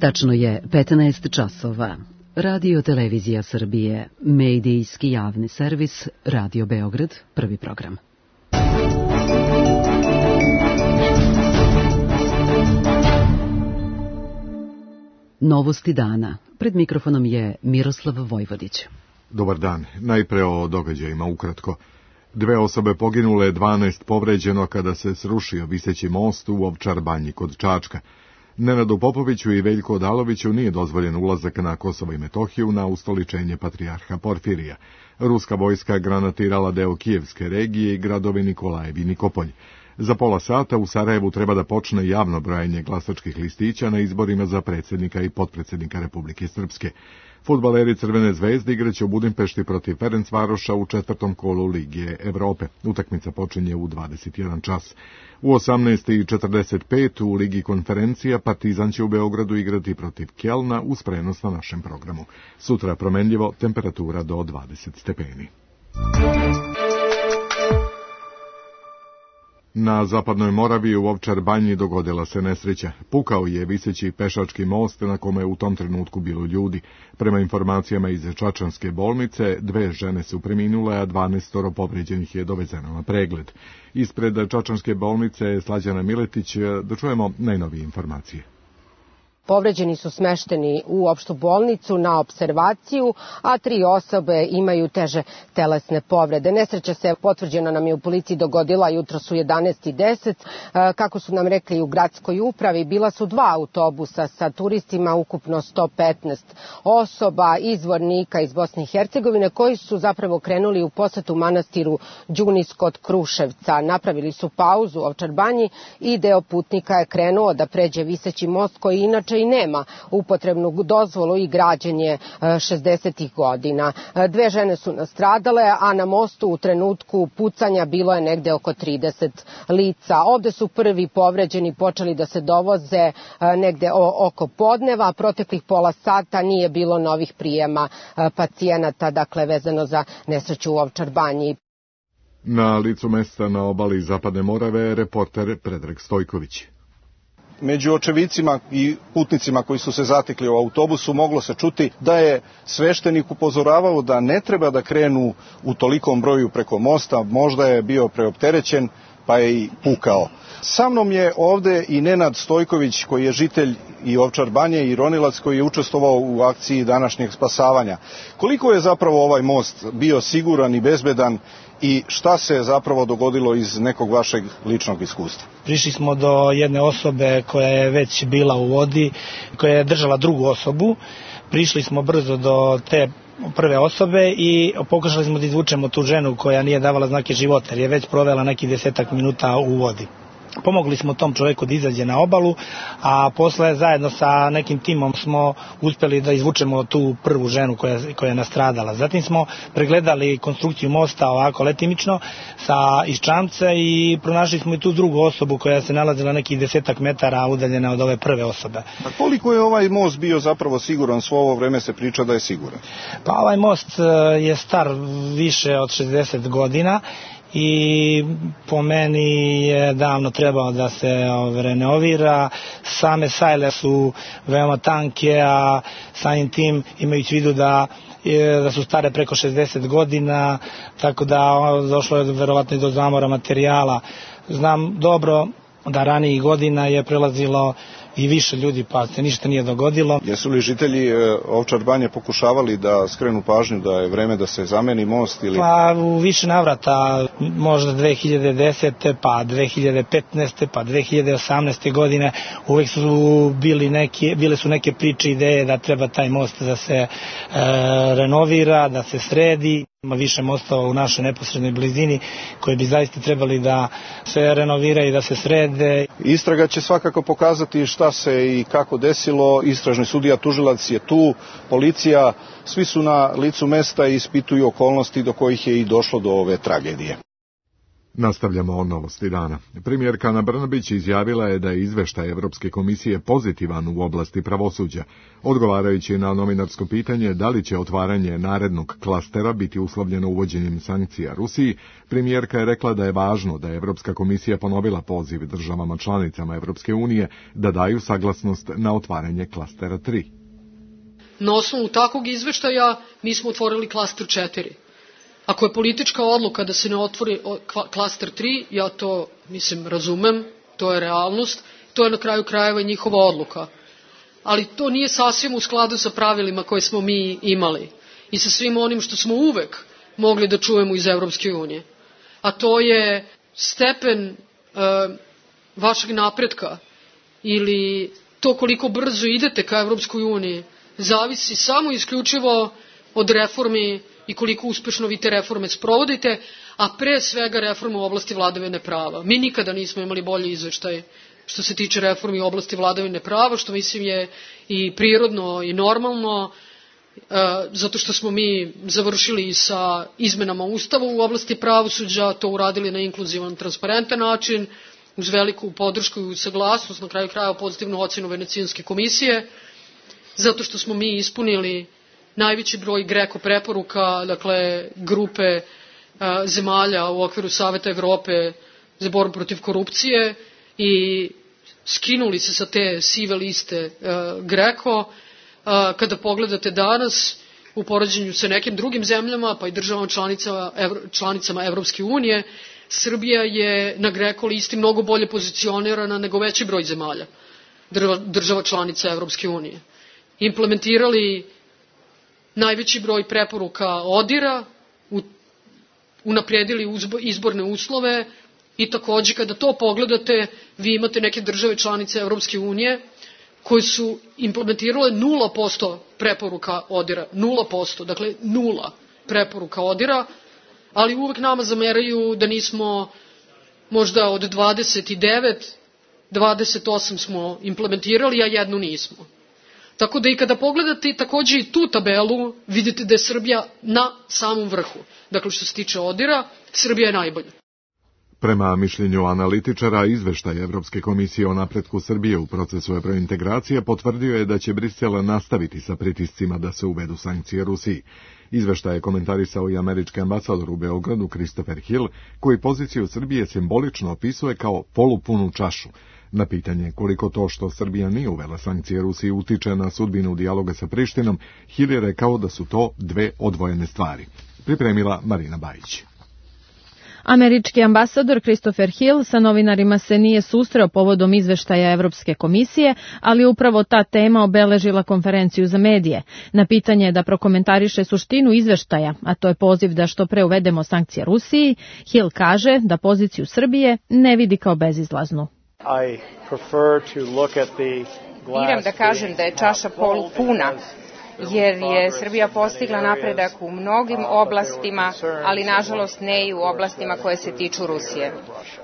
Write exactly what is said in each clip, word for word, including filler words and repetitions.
Tačno je petnaest časova. Radio Televizija Srbije, medijski javni servis, Radio Beograd, prvi program. Novosti dana. Pred mikrofonom je Miroslav Vojvodić. Dobar dan. Najpre o događajima ukratko. Dve osobe poginule, dvanaest povređeno kada se srušio viseći most u Ovčar Banji kod Čačka. Nenadu Popoviću i Veljku Odaloviću nije dozvoljen ulazak na Kosovo i Metohiju na ustoličenje patrijarha Porfirija. Ruska vojska granatirala deo Kijevske regije i gradove Nikolajev i Nikopolj. Za pola sata u Sarajevu treba da počne javno brojanje glasačkih listića na izborima za predsjednika i potpredsjednika Republike Srpske. Fudbaleri Crvene zvezde igraće u Budimpešti protiv Ferencvaroša u četvrtom kolu Lige Evrope. Utakmica počinje u dvadeset jedan čas. U osamnaest i četrdeset pet u Ligi konferencija Partizan će u Beogradu igrati protiv Kjelna uz prenos na našem programu. Sutra promenljivo, temperatura do dvadeset stepeni. Na zapadnoj Moravi u Ovčar Banji dogodila se nesreća. Pukao je viseći pešački most na kome u tom trenutku bilo ljudi. Prema informacijama iz Čačanske bolnice, dve žene su preminule, a dvanaestoro povređenih je dovezeno na pregled. Ispred Čačanske bolnice Slađana Miletić, da čujemo najnovije informacije. Povređeni su smešteni u opštu bolnicu na opservaciju, a tri osobe imaju teže telesne povrede. Nesreća se, potvrđeno nam je u policiji, dogodila jutros u jedanaest i deset. Kako su nam rekli u gradskoj upravi, bila su dva autobusa sa turistima, ukupno sto petnaest osoba iz Vornika iz Bosne i Hercegovine, koji su zapravo krenuli u posetu manastiru Đunis kod Kruševca. Napravili su pauzu u Ovčar Banji i deo putnika je krenuo da pređe viseći most koji inače i nema upotrebnu dozvolu i građenje šezdesetih godina. Dve žene su nastradale, a na mostu u trenutku pucanja bilo je negde oko trideset lica. Ovde su prvi povređeni počeli da se dovoze negde oko podneva. Proteklih pola sata nije bilo novih prijema pacijenata, dakle vezano za nesreću u Ovčar Banji. Na licu mesta na obali Zapadne Morave reporter Predrag Stojković. Među očevicima i putnicima koji su se zatekli u autobusu moglo se čuti da je sveštenik upozoravao da ne treba da krenu u tolikom broju preko mosta, možda je bio preopterećen pa je i pukao. Sa mnom je ovde i Nenad Stojković koji je žitelj i Ovčar Banje i ronilac koji je učestvovao u akciji današnjeg spasavanja. Koliko je zapravo ovaj most bio siguran i bezbedan i šta se zapravo dogodilo iz nekog vašeg ličnog iskustva? Prišli smo do jedne osobe koja je već bila u vodi, koja je držala drugu osobu. Prišli smo brzo do te prve osobe i pokušali smo da izvučemo tu ženu koja nije davala znake života, jer je već provela nekih desetak minuta u vodi. Pomogli smo tom čovjeku da izađe na obalu, a posle zajedno sa nekim timom smo uspjeli da izvučemo tu prvu ženu koja, koja je nastradala. Zatim smo pregledali konstrukciju mosta ovako letimično sa iz čamca i pronašli smo i tu drugu osobu koja se nalazila nekih desetak metara udaljena od ove prve osobe. A koliko je ovaj most bio zapravo siguran? Svo ovo vreme se priča da je siguran. Pa ovaj most je star više od šezdeset godina. I po meni je davno trebao da se renovira. Same sajle su veoma tanke, a samim tim imajući vidu da, da su stare preko šezdeset godina, tako da došlo je verovatno i do zamora materijala. Znam dobro da ranijih godina je prelazilo i više ljudi, pa se ništa nije dogodilo. Jesu li žitelji Ovčar Banje pokušavali da skrenu pažnju da je vreme da se zameni most? Ili... Pa u više navrata, možda dve hiljade desete, pa dve hiljade petnaeste, pa dve hiljade osamnaeste godine, uvek su bili neke, bile su neke priče, ideje da treba taj most da se e, renovira, da se sredi. Ima više mostova u našoj neposrednoj blizini koji bi zaista trebali da se renoviraju i da se srede. Istraga će svakako pokazati šta se i kako desilo. Istražni sudija tužilac je tu, policija, svi su na licu mesta i ispituju okolnosti do kojih je i došlo do ove tragedije. Nastavljamo o novosti dana. Premijerka Ana Brnabić izjavila je da je izveštaj Evropske komisije pozitivan u oblasti pravosuđa. Odgovarajući na novinarsko pitanje da li će otvaranje narednog klastera biti uslovljeno uvođenjem sankcija Rusiji, premijerka je rekla da je važno da je Evropska komisija ponovila poziv državama članicama Evropske unije da daju saglasnost na otvaranje klastera tri. Na osnovu takvog izveštaja mi smo otvorili klaster četiri. Ako je politička odluka da se ne otvori klaster tri, ja to, mislim, razumem, to je realnost, to je na kraju krajeva i njihova odluka. Ali to nije sasvim u skladu sa pravilima koje smo mi imali i sa svim onim što smo uvek mogli da čujemo iz Evropske unije. A to je stepen e, vašeg napretka ili to koliko brzo idete ka Evropskoj uniji zavisi samo isključivo od reformi i koliko uspešno vi te reforme sprovodite, a pre svega reforme u oblasti vladavine prava. Mi nikada nismo imali bolji izveštaj što se tiče reformi u oblasti vladavine prava, što mislim je i prirodno i normalno, zato što smo mi završili sa izmenama Ustava u oblasti pravosuđa, to uradili na inkluzivan, transparentan način, uz veliku podršku i saglasnost, na kraju krajeva pozitivnu ocenu Venecijanske komisije, zato što smo mi ispunili najveći broj GRECO preporuka, dakle grupe a, zemalja u okviru Saveta Evrope za borbu protiv korupcije i skinuli se sa te sive liste a, GRECO. A, kada pogledate danas u poređenju sa nekim drugim zemljama, pa i državama članicama, evro, članicama Evropske unije, Srbija je na GRECO listi mnogo bolje pozicionirana nego veći broj zemalja, država članica Evropske unije. Implementirali najveći broj preporuka ODIR-a, unaprijedili izborne uslove i takođe kada to pogledate, vi imate neke države članice Evropske unije koje su implementirale nula posto preporuka ODIR-a, nula posto, dakle nula preporuka ODIR-a, ali uvek nama zameraju da nismo možda od dvadeset devet, dvadeset osam smo implementirali, a jednu nismo. Tako da i kada pogledate takođe i tu tabelu, vidite da je Srbija na samom vrhu. Dakle, što se tiče ODIR-a, Srbija je najbolja. Prema mišljenju analitičara, izveštaj Evropske komisije o napretku Srbije u procesu evrointegracije potvrdio je da će Brisel nastaviti sa pritiscima da se uvedu sankcije Rusiji. Izveštaj je komentarisao i američki ambasador u Beogradu Christopher Hill, koji poziciju Srbije simbolično opisuje kao polupunu čašu. Na pitanje koliko to što Srbija nije uvela sankcije Rusiji utiče na sudbinu dijaloga sa Prištinom, Hill je rekao da su to dve odvojene stvari. Pripremila Marina Bajić. Američki ambasador Christopher Hill sa novinarima se nije susreo povodom izveštaja Evropske komisije, ali upravo ta tema obeležila konferenciju za medije. Na pitanje da prokomentariše suštinu izveštaja, a to je poziv da što pre uvedemo sankcije Rusiji, Hill kaže da poziciju Srbije ne vidi kao bezizlaznu. Biram da kažem da je čaša polupuna, jer je Srbija postigla napredak u mnogim oblastima, ali nažalost ne i u oblastima koje se tiču Rusije.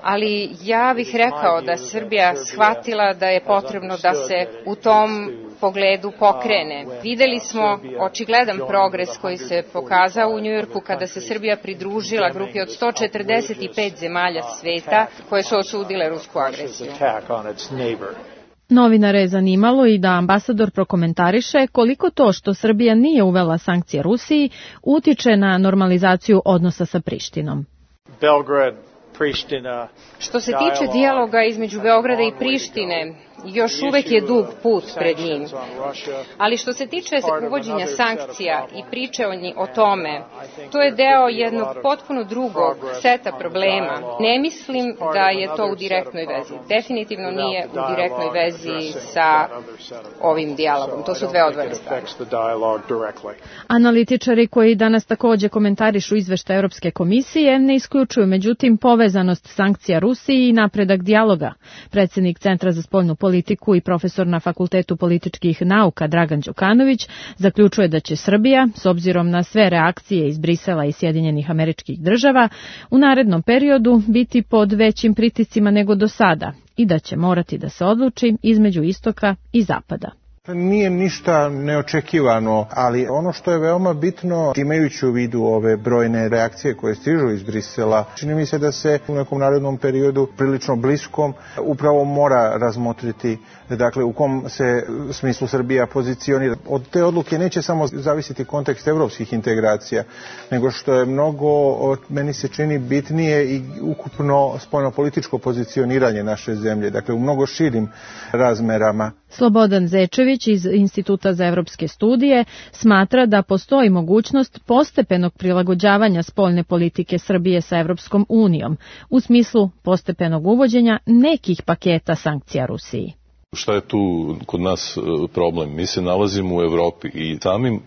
Ali ja bih rekao da Srbija shvatila da je potrebno da se u tom pogledu pokrene. Videli smo očigledan progres koji se pokazao u Njujorku kada se Srbija pridružila grupi od sto četrdeset pet zemalja sveta koje su osudile rusku agresiju. Novinare je zanimalo i da ambasador prokomentariše koliko to što Srbija nije uvela sankcije Rusiji utiče na normalizaciju odnosa sa Prištinom. Belgrad, Priština. Što se tiče dijaloga između Beograda i Prištine, još uvek je dug put pred njim. Ali što se tiče uvođenja sankcija i priče o tome, to je deo jednog potpuno drugog seta problema. Ne mislim da je to u direktnoj vezi. Definitivno nije u direktnoj vezi sa ovim dijalogom. To su dve odvojene stvari. Analitičari koji danas takođe komentarišu izveštaj Evropske komisije ne isključuju međutim povezanost sankcija Rusiji i napredak dijaloga. Predsjednik Centra za spoljnu politiku i profesor na Fakultetu političkih nauka Dragan Đukanović zaključuje da će Srbija, s obzirom na sve reakcije iz Brisela i Sjedinjenih Američkih Država, u narednom periodu biti pod većim pritiscima nego do sada i da će morati da se odluči između istoka i zapada. Nije ništa neočekivano, ali ono što je veoma bitno, imajući u vidu ove brojne reakcije koje stižu iz Brisela, čini mi se da se u nekom narednom periodu prilično bliskom upravo mora razmotriti, dakle u kom se smislu Srbija pozicionira. Od te odluke neće samo zavisiti kontekst evropskih integracija, nego što je mnogo, meni se čini, bitnije i ukupno spoljnopolitičko pozicioniranje naše zemlje, dakle u mnogo širim razmerama. Slobodan Zečević iz Instituta za evropske studije smatra da postoji mogućnost postepenog prilagođavanja spoljne politike Srbije sa Evropskom unijom u smislu postepenog uvođenja nekih paketa sankcija Rusiji. Šta je tu kod nas problem? Mi se nalazimo u Evropi i samim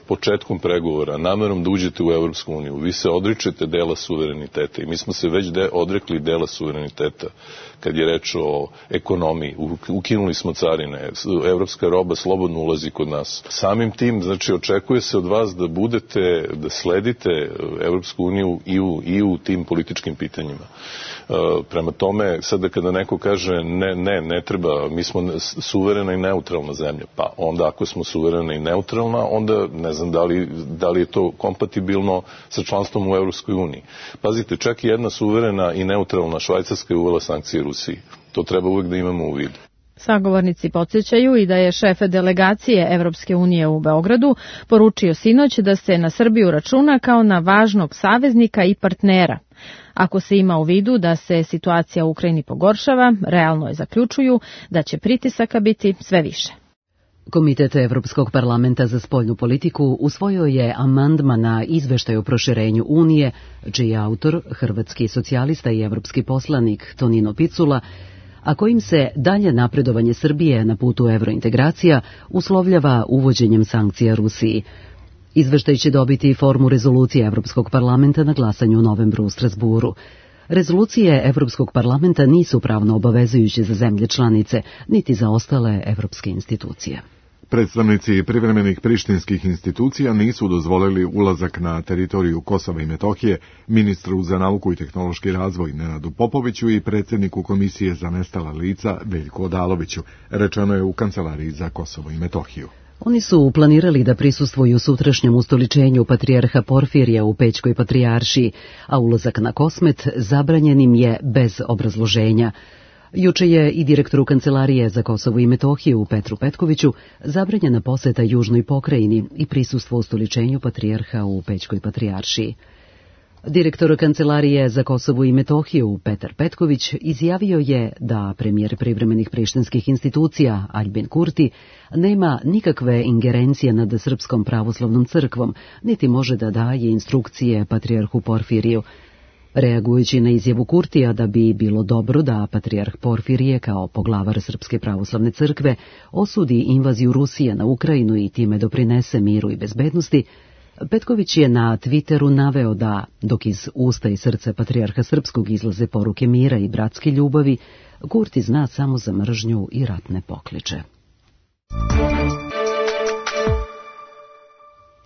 početkom pregovora, namerom da uđete u Evropsku uniju, vi se odričete dela suvereniteta i mi smo se već de, odrekli dela suvereniteta kad je reč o ekonomiji. Ukinuli smo carine, evropska roba slobodno ulazi kod nas. Samim tim, znači, očekuje se od vas da budete, da sledite Evropsku uniju i u, i u tim političkim pitanjima. Prema tome, sada kada neko kaže ne, ne, ne treba, mi smo suverena i neutralna zemlja, pa onda ako smo suverena i neutralna, onda ne znam da li, da li je to kompatibilno sa članstvom u Evropskoj uniji. Pazite, čak i jedna suverena i neutralna Švajcarska je uvela sankcije Rusiji. To treba uvek da imamo u vidu. Sagovornici podsjećaju i da je šef delegacije Evropske unije u Beogradu poručio sinoć da se na Srbiju računa kao na važnog saveznika i partnera. Ako se ima u vidu da se situacija u Ukrajini pogoršava, realno je zaključuju da će pritisaka biti sve više. Komitet Evropskog parlamenta za spoljnu politiku usvojio je amandman na izveštaj o proširenju Unije, čiji je autor hrvatski socijalista i evropski poslanik Tonino Picula, a kojim se dalje napredovanje Srbije na putu evrointegracija uslovljava uvođenjem sankcija Rusiji. Izveštaj će dobiti formu rezolucije Evropskog parlamenta na glasanju u novembru u Strasburu. Rezolucije Evropskog parlamenta nisu pravno obavezujuće za zemlje članice, niti za ostale evropske institucije. Predstavnici privremenih prištinskih institucija nisu dozvolili ulazak na teritoriju Kosova i Metohije ministru za nauku i tehnološki razvoj Nenadu Popoviću i predsjedniku Komisije za nestala lica Veljku Odaloviću, rečeno je u Kancelariji za Kosovo i Metohiju. Oni su planirali da prisustvuju sutrašnjem ustoličenju patrijarha Porfirija u Pećkoj patrijaršiji, a ulazak na Kosmet zabranjen im je bez obrazloženja. Juče je i direktoru Kancelarije za Kosovo i Metohiju Petru Petkoviću zabranjena poseta južnoj pokrajini i prisustvo ustoličenju patrijarha u Pećkoj patrijaršiji. Direktor Kancelarije za Kosovo i Metohiju Petar Petković izjavio je da premijer privremenih prištinskih institucija Aljbin Kurti nema nikakve ingerencije nad Srpskom pravoslavnom crkvom, niti može da daje instrukcije patrijarhu Porfiriju. Reagujući na izjavu Kurtija da bi bilo dobro da patrijarh Porfirije kao poglavar Srpske pravoslavne crkve osudi invaziju Rusije na Ukrajinu i time doprinese miru i bezbednosti, Petković je na Twitteru naveo da, dok iz usta i srca patrijarha srpskog izlaze poruke mira i bratske ljubavi, Kurti zna samo za mržnju i ratne pokliče.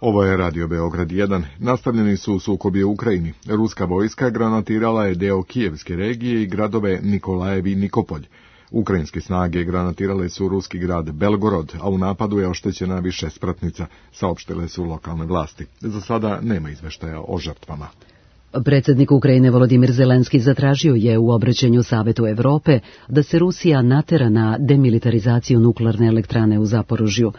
Ovo je Radio Beograd jedan. Nastavljeni su sukobi u Ukrajini. Ruska vojska granatirala je deo Kijevske regije i gradove Nikolajev i Nikopolj. Ukrajinske snage granatirale su ruski grad Belgorod, a u napadu je oštećena više spratnica, saopštile su lokalne vlasti. Za sada nema izveštaja o žrtvama. Predsjednik Ukrajine Volodimir Zelenski zatražio je u obraćanju Savetu Evrope da se Rusija natera na demilitarizaciju nuklearne elektrane u Zaporožju.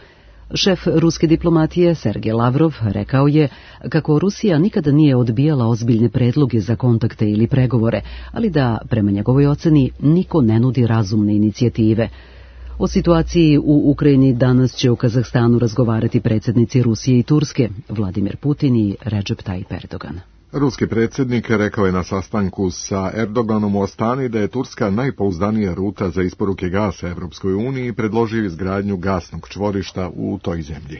Šef ruske diplomatije Sergej Lavrov rekao je kako Rusija nikada nije odbijala ozbiljne predloge za kontakte ili pregovore, ali da, prema njegovoj oceni, niko ne nudi razumne inicijative. O situaciji u Ukrajini danas će u Kazahstanu razgovarati predsjednici Rusije i Turske, Vladimir Putin i Recep Tayyip Erdogan. Ruski predsjednik rekao je na sastanku sa Erdoganom u Astani da je Turska najpouzdanija ruta za isporuke gasa Evropskoj uniji i predložio izgradnju gasnog čvorišta u toj zemlji.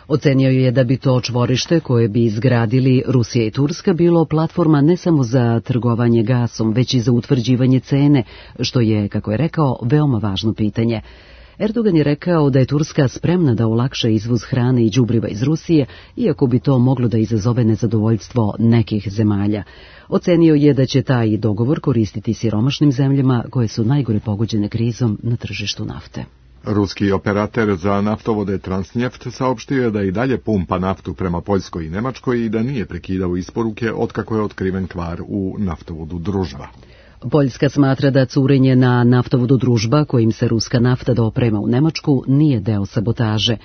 Ocenio je da bi to čvorište koje bi izgradili Rusija i Turska bilo platforma ne samo za trgovanje gasom, već i za utvrđivanje cene, što je, kako je rekao, veoma važno pitanje. Erdogan je rekao da je Turska spremna da olakša izvoz hrane i đubriva iz Rusije, iako bi to moglo da izazove nezadovoljstvo nekih zemalja. Ocenio je da će taj dogovor koristiti siromašnim zemljama koje su najgore pogođene krizom na tržištu nafte. Ruski operater za naftovode Transnjeft saopštio je da i dalje pumpa naftu prema Poljskoj i Nemačkoj i da nije prekidao isporuke otkako je otkriven kvar u naftovodu Družba. Poljska smatra da curenje na naftovodu Družba, kojim se ruska nafta doprema u Nemačku, nije deo sabotaže.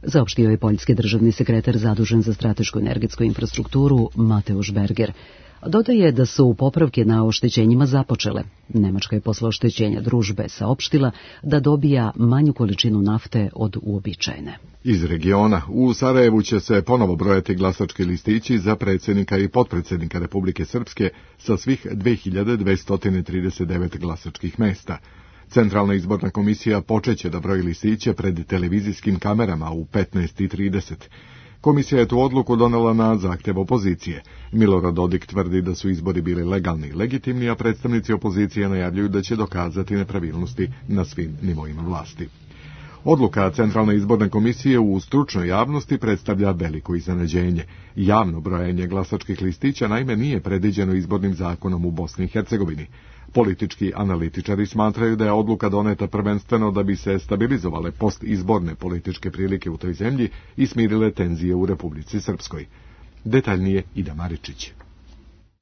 Saopštio je poljski državni sekretar zadužen za stratešku energetsku infrastrukturu Mateusz Berger. Dodaje da su popravke na oštećenjima započele. Nemačka je posle oštećenja Družbe saopštila da dobija manju količinu nafte od uobičajene. Iz regiona u Sarajevu će se ponovo brojati glasački listići za predsjednika i potpredsjednika Republike Srpske sa svih dve hiljade dvesta trideset devet glasačkih mesta. Centralna izborna komisija počeće da broji listiće pred televizijskim kamerama u petnaest i trideset. Komisija je tu odluku donela na zahtjev opozicije. Milorad Dodik tvrdi da su izbori bili legalni i legitimni, a predstavnici opozicije najavljuju da će dokazati nepravilnosti na svim nivoima vlasti. Odluka Centralne izborne komisije u stručnoj javnosti predstavlja veliko iznenađenje. Javno brojanje glasačkih listića naime nije predviđeno izbornim zakonom u Bosni i Hercegovini. Politički analitičari smatraju da je odluka doneta prvenstveno da bi se stabilizovale postizborne političke prilike u toj zemlji i smirile tenzije u Republici Srpskoj. Detaljnije Ida Maričić.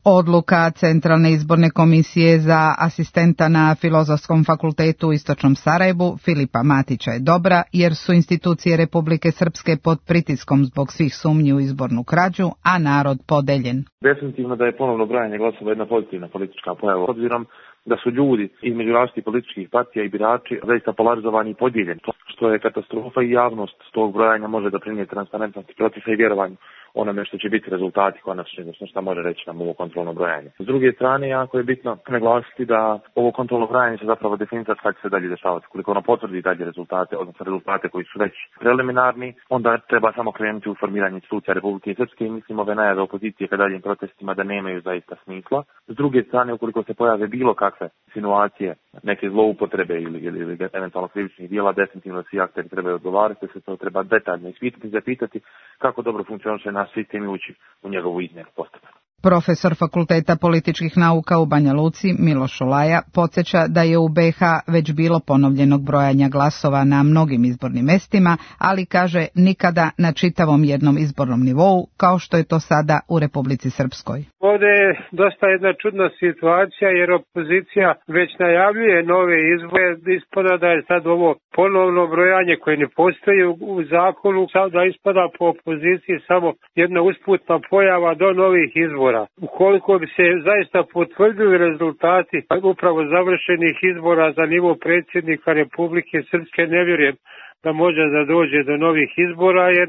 Odluka Centralne izborne komisije za asistenta na Filozofskom fakultetu u Istočnom Sarajevu Filipa Matića je dobra, jer su institucije Republike Srpske pod pritiskom zbog svih sumnji u izbornu krađu, a narod podeljen. Definitivno da je ponovno brojanje glasova jedna pozitivna politička pojava, obzirom da su ljudi između različitih političkih partija i birači zaista polarizovani i podijeljeni, što je katastrofa i javnost tog brojanja može doprinijeti transparentnosti procesa i vjerovanju onome što će biti rezultati konačni, odnosno što može reći nam ovo kontrolno brojanje. S druge strane, jako je bitno naglasiti da ovo kontrolno brojanje će zapravo definisati kako će se dalje dešavati. Koliko ono potvrdi dalje rezultate, odnosno rezultate koji su već preliminarni, onda treba samo krenuti u formiranje institucija Republike Srpske i mislim ove najave opozicije ka daljim protestima da nemaju zaista smisla. S druge strane, ukoliko se pojave bilo kakve insinuacije, neke zloupotrebe ili, ili, ili eventualno krivičnih dijela, definitivno svi akteri trebaju odgovarati, se to treba detaljno ispitati i zapitati kako dobro funkcioniše naš sistem i ući u njegovu izmjenu postupno. Profesor Fakulteta političkih nauka u Banja Luci Miloš Olaja podsjeća da je u be ha već bilo ponovljenog brojanja glasova na mnogim izbornim mestima, ali kaže nikada na čitavom jednom izbornom nivou kao što je to sada u Republici Srpskoj. Ovdje je dosta jedna čudna situacija jer opozicija već najavljuje nove izbore, ispada da je sad ovo ponovno brojanje koje ne postoji u zakonu, sada ispada po opoziciji samo jedna usputna pojava do novih izbora. Ukoliko bi se zaista potvrdili rezultati upravo završenih izbora za nivo predsjednika Republike Srpske, ne vjerujem da može da dođe do novih izbora, jer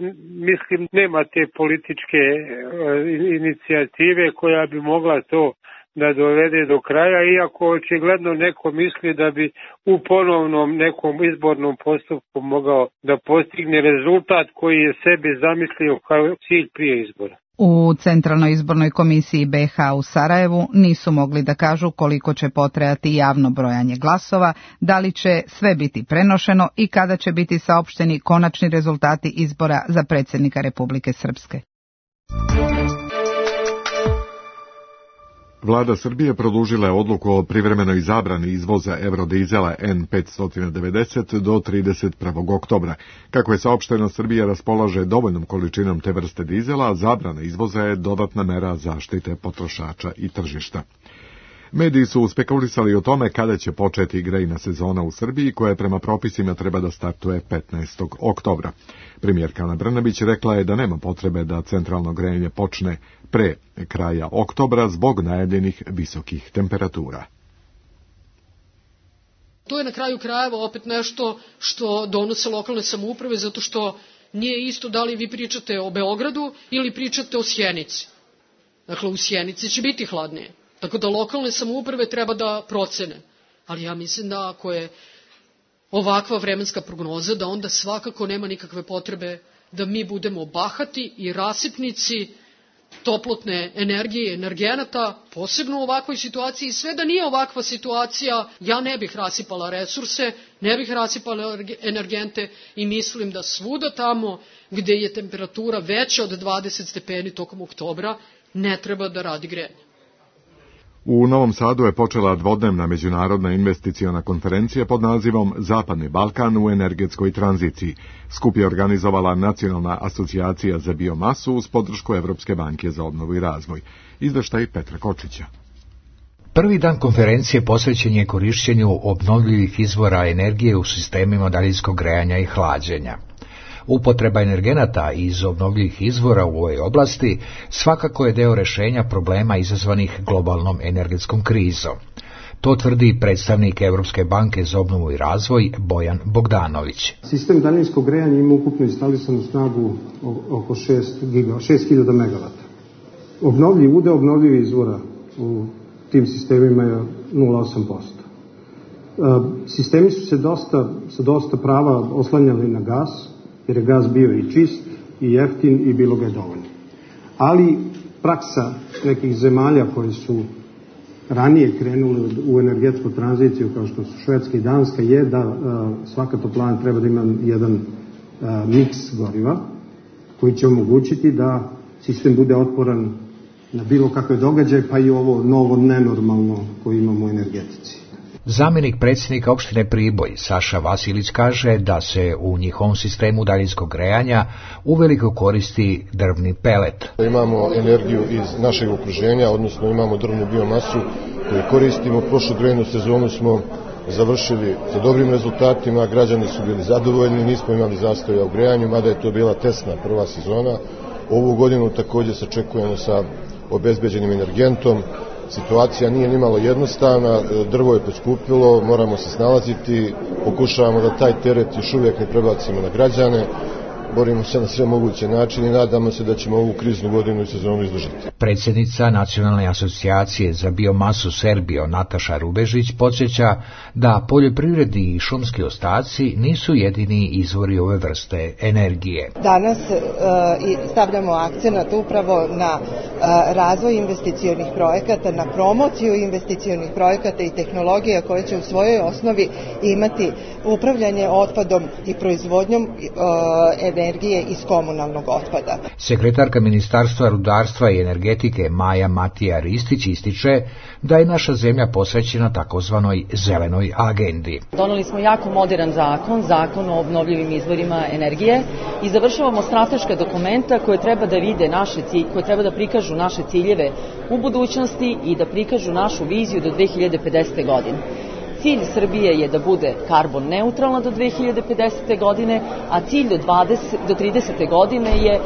mislim nema te političke inicijative koja bi mogla to da dovede do kraja, iako očigledno neko misli da bi u ponovnom nekom izbornom postupku mogao da postigne rezultat koji je sebi zamislio kao cilj prije izbora. U Centralnoj izbornoj komisiji be ha u Sarajevu nisu mogli da kažu koliko će potrajati javno brojanje glasova, da li će sve biti prenošeno i kada će biti saopšteni konačni rezultati izbora za predsjednika Republike Srpske. Vlada Srbije produžila je odluku o privremenoj zabrani izvoza eurodizela en petsto devedeset do trideset prvog oktobra. Kako je saopšteno, Srbija raspolaže dovoljnom količinom te vrste dizela, a zabrana izvoza je dodatna mera zaštite potrošača i tržišta. Mediji su spekulisali o tome kada će početi grejna sezona u Srbiji, koja prema propisima treba da startuje petnaestog oktobra. Premijerka Ana Brnabić rekla je da nema potrebe da centralno grejanje počne pre kraja oktobra zbog najavljenih visokih temperatura. To je na kraju krajeva opet nešto što donose lokalne samouprave, zato što nije isto da li vi pričate o Beogradu ili pričate o Sjenici. Dakle, u Sjenici će biti hladnije. Tako da lokalne samouprave treba da procene. Ali ja mislim da ako je ovakva vremenska prognoza, da onda svakako nema nikakve potrebe da mi budemo bahati i rasipnici toplotne energije i energenata, posebno u ovakvoj situaciji. Sve da nije ovakva situacija, ja ne bih rasipala resurse, ne bih rasipala energente i mislim da svuda tamo gde je temperatura veća od dvadeset stepeni tokom oktobra, ne treba da radi grejanje. U Novom Sadu je počela dvodnevna međunarodna investiciona konferencija pod nazivom Zapadni Balkan u energetskoj tranziciji. Skup je organizovala Nacionalna asocijacija za biomasu uz podršku Evropske banke za obnovu i razvoj. Izveštaj Petra Kočića. Prvi dan konferencije posvećen je korišćenju obnovljivih izvora energije u sistemima daljinskog grejanja i hlađenja. Upotreba energenata iz obnovljivih izvora u ovoj oblasti svakako je deo rešenja problema izazvanih globalnom energetskom krizom. To tvrdi predstavnik Evropske banke za obnovu i razvoj Bojan Bogdanović. Sistem daljinskog grejanja ima ukupno instalisanu snagu oko šest hiljada megavata. Obnovljiv udeo obnovljivih izvora u tim sistemima je nula zarez osam posto. Sistemi su se dosta, sa dosta prava oslanjali na gas, jer je gas bio i čist, i jeftin i bilo ga je dovoljno. Ali praksa nekih zemalja koje su ranije krenule u energetsku tranziciju, kao što su Švedska i Danska, je da a, svaka toplana treba da ima jedan a, miks goriva, koji će omogućiti da sistem bude otporan na bilo kakve događaje, pa i ovo novo nenormalno koje imamo u energetici. Zamjenik predsjednika opštine Priboj, Saša Vasilić, kaže da se u njihovom sistemu daljinskog grejanja uveliko koristi drvni pelet. Imamo energiju iz našeg okruženja, odnosno imamo drvnu biomasu koju koristimo. Prošlu grejnu sezonu smo završili sa dobrim rezultatima, građani su bili zadovoljni, nismo imali zastoja u grejanju, mada je to bila tesna prva sezona. Ovu godinu također se očekujemo sa obezbeđenim energentom. Situacija nije nimalo jednostavna, drvo je poskupilo, moramo se snalaziti, pokušavamo da taj teret još uvijek ne prebacimo na građane, borimo se na sve moguće načine i nadamo se da ćemo ovu kriznu godinu i sezonu izdržati. Predsjednica Nacionalne asocijacije za biomasu Serbio Nataša Rubežić podsjeća da poljoprivredi i šumski ostaci nisu jedini izvori ove vrste energije. Danas e, stavljamo akcenat upravo na e, razvoj investicionih projekata, na promociju investicionih projekata i tehnologija koje će u svojoj osnovi imati upravljanje otpadom i proizvodnjom e, energije iz komunalnog otpada. Sekretarka Ministarstva rudarstva i energetike Maja Matija Ristić ističe da je naša zemlja posvećena takozvanoj zelenoj agendi. Doneli smo jako modern zakon, zakon o obnovljivim izvorima energije i završavamo strateška dokumenta koje treba da vide naše cilje, koje treba da prikažu naše ciljeve u budućnosti i da prikažu našu viziju do dve hiljade pedesete. godine. Cilj Srbije je da bude karbon neutralna do dve hiljade pedesete. godine, a cilj do, dvadeset, do tridesete. godine je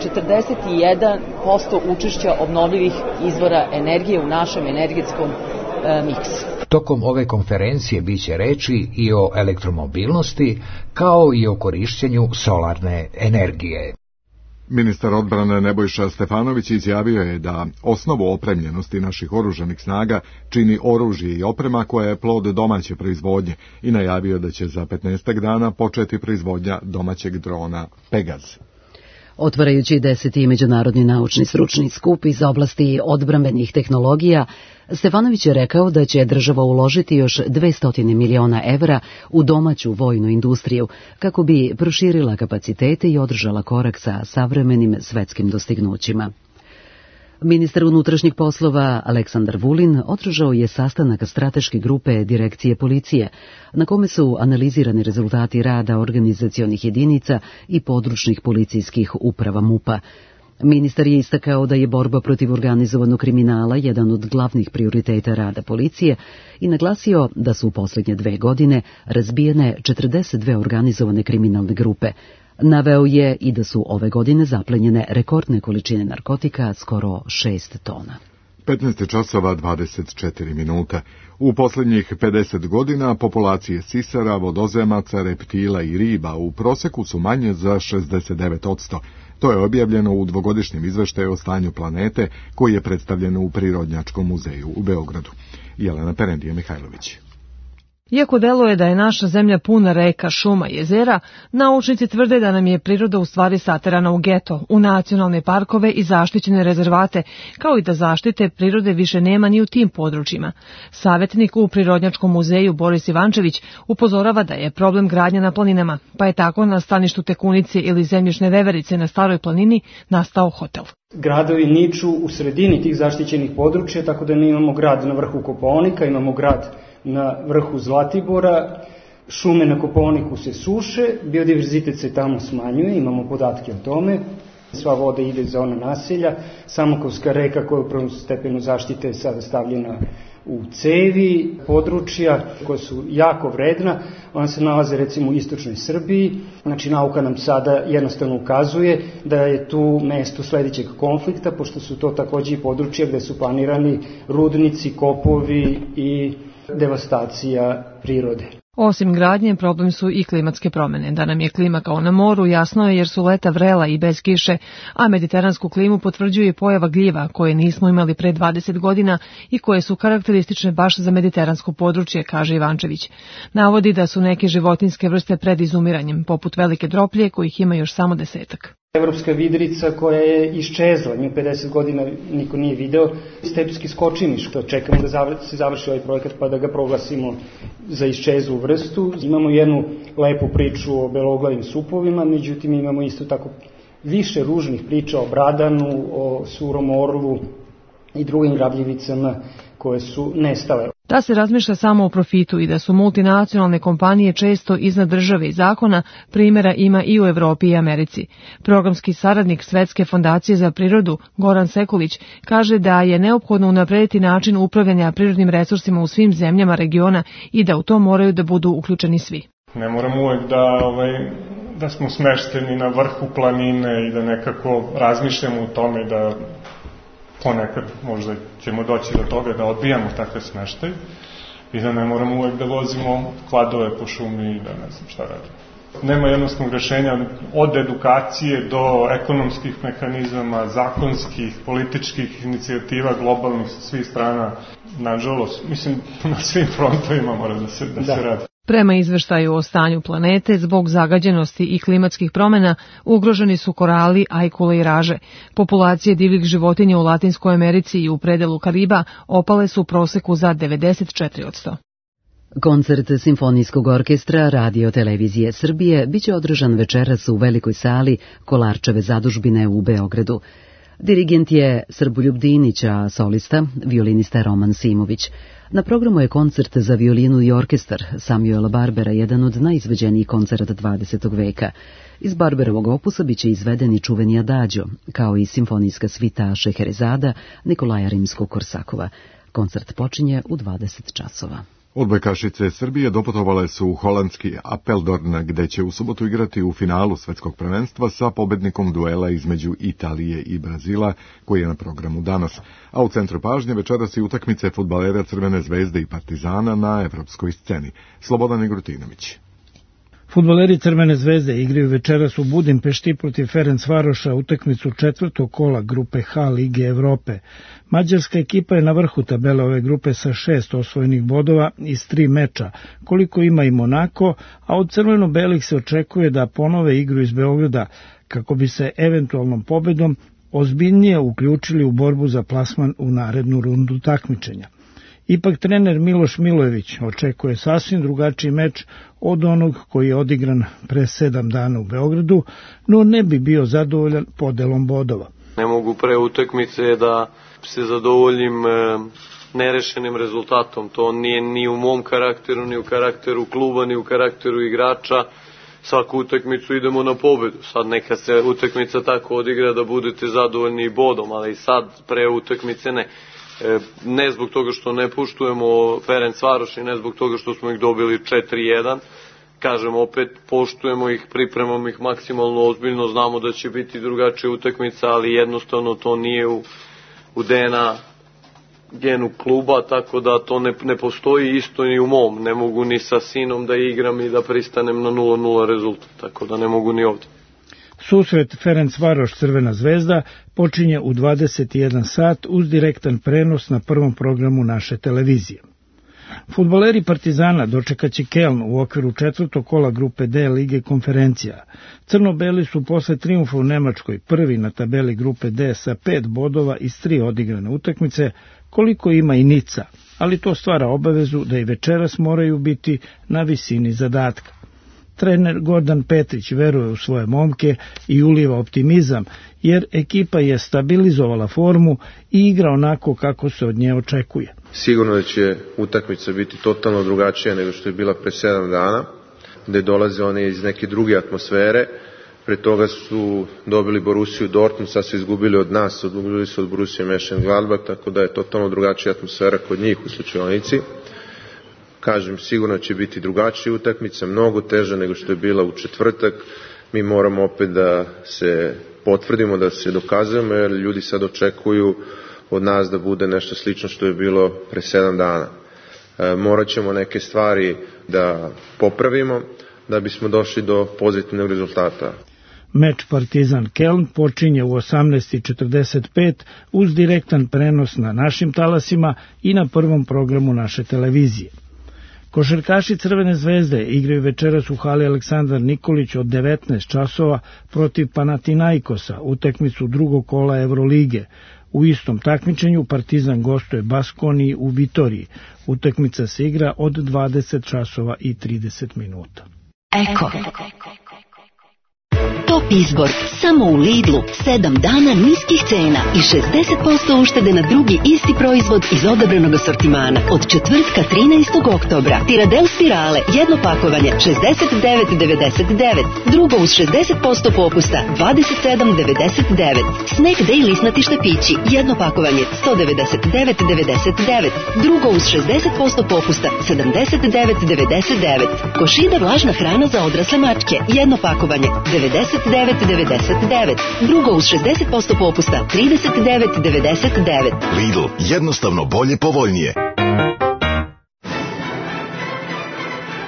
četrdeset jedan posto učešća obnovljivih izvora energije u našem energetskom miksu. Tokom ove konferencije biće reči i o elektromobilnosti, kao i o korišćenju solarne energije. Ministar odbrane Nebojša Stefanović izjavio je da osnovu opremljenosti naših oružanih snaga čini oružje i oprema koja je plod domaće proizvodnje i najavio da će za petnaestak dana početi proizvodnja domaćeg drona Pegaz. Otvarajući deseti međunarodni naučni stručni skup iz oblasti odbrambenih tehnologija, Stefanović je rekao da će država uložiti još dvesta miliona evra u domaću vojnu industriju kako bi proširila kapacitete i održala korak sa savremenim svetskim dostignućima. Ministar unutrašnjih poslova Aleksandar Vulin održao je sastanak strateške grupe Direkcije policije, na kome su analizirani rezultati rada organizacionih jedinica i područnih policijskih uprava MUP-a. Ministar je istakao da je borba protiv organizovanog kriminala jedan od glavnih prioriteta rada policije i naglasio da su u posljednje dve godine razbijene četrdeset dve organizovane kriminalne grupe. Naveo je i da su ove godine zaplenjene rekordne količine narkotika, skoro šest tona. petnaest časova dvadeset četiri minuta. U posljednjih pedeset godina populacije sisara, vodozemaca, reptila i riba u proseku su manje za šezdeset devet posto. To je objavljeno u dvogodišnjem izveštaju o stanju planete koji je predstavljen u Prirodnjačkom muzeju u Beogradu. Jelena Perendije Mihajlović. Iako deluje da je naša zemlja puna reka, šuma i jezera, naučnici tvrde da nam je priroda u stvari saterana u geto, u nacionalne parkove i zaštićene rezervate, kao i da zaštite prirode više nema ni u tim područjima. Savjetnik u Prirodnjačkom muzeju Boris Ivančević upozorava da je problem gradnja na planinama, pa je tako na staništu Tekunice ili zemljišne veverice na Staroj planini nastao hotel. Gradovi niču u sredini tih zaštićenih područja, tako da mi imamo grad na vrhu Kopaonika, imamo grad na vrhu Zlatibora, šume na Kopaoniku se suše, biodiverzitet se tamo smanjuje, imamo podatke o tome, sva voda ide za ona naselja, Samokovska reka koja je u prvom stepenu zaštite je sada stavljena u cevi područja koja su jako vredna, ona se nalaze recimo u istočnoj Srbiji, znači nauka nam sada jednostavno ukazuje da je tu mesto sledećeg konflikta, pošto su to takođe i područja gde su planirani rudnici, kopovi i devastacija prirode. Osim gradnje, problem su i klimatske promene. Da nam je klima kao na moru jasno je jer su leta vrela i bez kiše, a mediteransku klimu potvrđuje pojava gljiva koje nismo imali pre dvadeset godina i koje su karakteristične baš za mediteransko područje, kaže Ivančević. Navodi da su neke životinjske vrste pred izumiranjem, poput velike droplje kojih ima još samo desetak. Evropska vidrica koja je iščezla, nju pedeset godina niko nije video, stepski skočimiš, što čekamo da se završi ovaj projekat pa da ga proglasimo za iščezlu vrstu. Imamo jednu lepu priču o beloglavim supovima, međutim imamo isto tako više ružnih priča o bradanu, o surom orlu i drugim grabljivicama koje su nestale. Da se razmišlja samo o profitu i da su multinacionalne kompanije često iznad države i zakona, primjera ima i u Evropi i Americi. Programski saradnik Svetske fondacije za prirodu, Goran Sekulić, kaže da je neophodno unaprediti način upravljanja prirodnim resursima u svim zemljama regiona i da u to moraju da budu uključeni svi. Ne moramo uvek da, ovaj, da smo smešteni na vrhu planine i da nekako razmišljamo o tome da ponekad možda ćemo doći do toga da odbijamo takve smeštaj i da ne moramo uvek da vozimo kladove po šumi i da ne znam šta radimo. Nema jednostavnog rešenja od edukacije do ekonomskih mehanizama, zakonskih, političkih inicijativa, globalnih sa svih strana. Nažalost, mislim, na svim frontovima mora da se, da da. se radi. Prema izveštaju o stanju planete, zbog zagađenosti i klimatskih promena, ugroženi su korali, ajkule i raže. Populacije divljih životinja u Latinskoj Americi i u predelu Kariba opale su u proseku za devedeset četiri posto. Koncert Simfonijskog orkestra Radio Televizije Srbije biće održan večeras u velikoj sali Kolarčeve zadužbine u Beogradu. Dirigent je Srboljub Dinić, a solista violinista Roman Simović. Na programu je koncert za violinu i orkestar Samuela Barbera, jedan od najizveđenijih koncerata dvadesetog veka. Iz Barberovog opusa biće izveden i čuveni Adagio, kao i simfonijska svita Šeherezada Nikolaja Rimskog-Korsakova. Koncert počinje u dvadeset časova. Odbojkašice Srbije doputovale su u holandski Apeldoorn, gde će u subotu igrati u finalu svetskog prvenstva sa pobednikom duela između Italije i Brazila, koji je na programu danas. A u centru pažnje večeras i utakmice fudbalera Crvene zvezde i Partizana na evropskoj sceni. Slobodan Igrutinović. Fudbaleri Crvene zvezde igraju večeras u Budimpešti protiv Ferencvaroša utakmicu četvrtog kola grupe H Lige Evrope. Mađarska ekipa je na vrhu tabele ove grupe sa šest osvojenih bodova iz tri meča, koliko ima i Monako, a od crveno-belih se očekuje da ponove igru iz Beograda, kako bi se eventualnom pobedom ozbiljnije uključili u borbu za plasman u narednu rundu takmičenja. Ipak trener Miloš Milojević očekuje sasvim drugačiji meč od onog koji je odigran pre sedam dana u Beogradu, no ne bi bio zadovoljan podelom bodova. Ne mogu pre utakmice da se zadovoljim e, nerešenim rezultatom. To nije ni u mom karakteru, ni u karakteru kluba, ni u karakteru igrača. Svaku utakmicu idemo na pobedu. Sad neka se utakmica tako odigra da budete zadovoljni bodom, ali sad pre utakmice ne. Ne zbog toga što ne poštujemo Ferencvaroš i ne zbog toga što smo ih dobili četiri jedan. Kažem, opet poštujemo ih, pripremamo ih maksimalno ozbiljno, znamo da će biti drugačija utakmica, ali jednostavno to nije u, u D N A genu kluba, tako da to ne, ne postoji isto ni u mom. Ne mogu ni sa sinom da igram i da pristanem na nula nula rezultat, tako da ne mogu ni ovde. Susret Ferencvaroš Crvena zvezda počinje u dvadeset jedan sat uz direktan prenos na prvom programu naše televizije. Fudbaleri Partizana dočekaće Keln u okviru četvrtog kola grupe D Lige konferencija. Crno-beli su posle trijumfa u Nemačkoj prvi na tabeli grupe D sa pet bodova iz tri odigrane utakmice, koliko ima i Nica, ali to stvara obavezu da i večeras moraju biti na visini zadatka. Trener Gordan Petrić veruje u svoje momke i uliva optimizam, jer ekipa je stabilizovala formu i igra onako kako se od nje očekuje. Sigurno da će utakmica biti totalno drugačija nego što je bila pre sedam dana, gde dolaze one iz neke druge atmosfere. Pre toga su dobili Borussiju Dortmund, sad su izgubili od nas, odgubili su od Borussije Mönchengladbach, tako da je totalno drugačija atmosfera kod njih u slučajnici. Kažem, sigurno će biti drugačija utakmica, mnogo teža nego što je bila u četvrtak. Mi moramo opet da se potvrdimo, da se dokazujemo, jer ljudi sad očekuju od nas da bude nešto slično što je bilo pre sedam dana. E, morat ćemo neke stvari da popravimo da bismo došli do pozitivnog rezultata. Meč Partizan Keln počinje u osamnaest i četrdeset pet uz direktan prenos na našim talasima i na prvom programu naše televizije. Košarkaši Crvene zvezde igraju večeras u hali Aleksandar Nikolić od devetnaest časova protiv Panathinaikosa, utakmicu drugog kola Evrolige. U istom takmičenju Partizan gostuje Baskoniji u Vitoriji. Utakmica se igra od dvadeset časova i trideset minuta. Eko. Top izbor samo u Lidlu. sedam dana niskih cena i šezdeset posto uštede na drugi isti proizvod iz odabranog asortimana. Od četvrtka trinaestog oktobra. Tiradel spirale, jedno pakovanje šezdeset devet devedeset devet. Drugo uz šezdeset posto popusta dvadeset sedam devedeset devet. Snack Day lisnati štepići, jedno pakovanje sto devedeset devet devedeset devet. Drugo uz šezdeset posto popusta sedamdeset devet devedeset devet. Košida vlažna hrana za odrasle mačke, jedno pakovanje devedeset devet devedeset devet. Drugo uz šezdeset posto popusta trideset devet devedeset devet. Lidl, jednostavno bolje, povoljnije.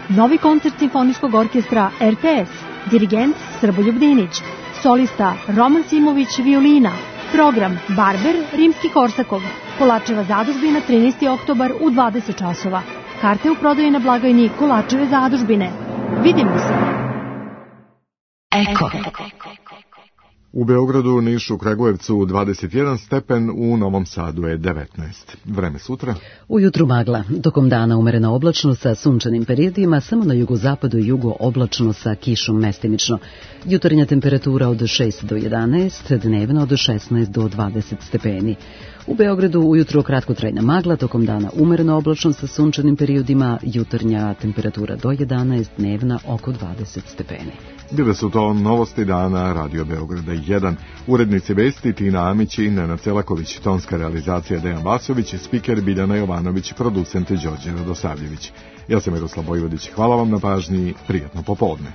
Novi koncert Simfonijskog orkestra R T S. Dirigent Srboljub Dinić. Solista Roman Simović violina. Program Barber Rimski-Korsakov. Kolačeva zadužbina trinaesti oktobar u dvadeset časova. Karte u prodaji na blagajni Kolačeve zadužbine. Vidimo se. Eko. U Beogradu, Nišu, Kragujevcu dvadeset jedan stepen, u Novom Sadu je devetnaest. Vreme sutra. Ujutru magla, tokom dana umerena oblačno sa sunčanim periodima, samo na jugozapadu i jugo oblačno sa kišom mestimično. Jutarnja temperatura od šest do jedanaest, dnevna od šesnaest do dvadeset stepeni. U Beogradu ujutro kratkotrajna magla, tokom dana umereno oblačno sa sunčanim periodima, jutarnja temperatura do jedanaest, dnevna oko dvadeset stepeni. Bile su to novosti dana Radio Beograda jedan. Urednici vesti Tina Amić i Nenad Celaković, tonska realizacija Dejan Vasović, spiker Biljana Jovanović, producent Đorđe Radosavljević. Ja sam Miroslav Bojvodić, hvala vam na pažnji, prijatno popodne.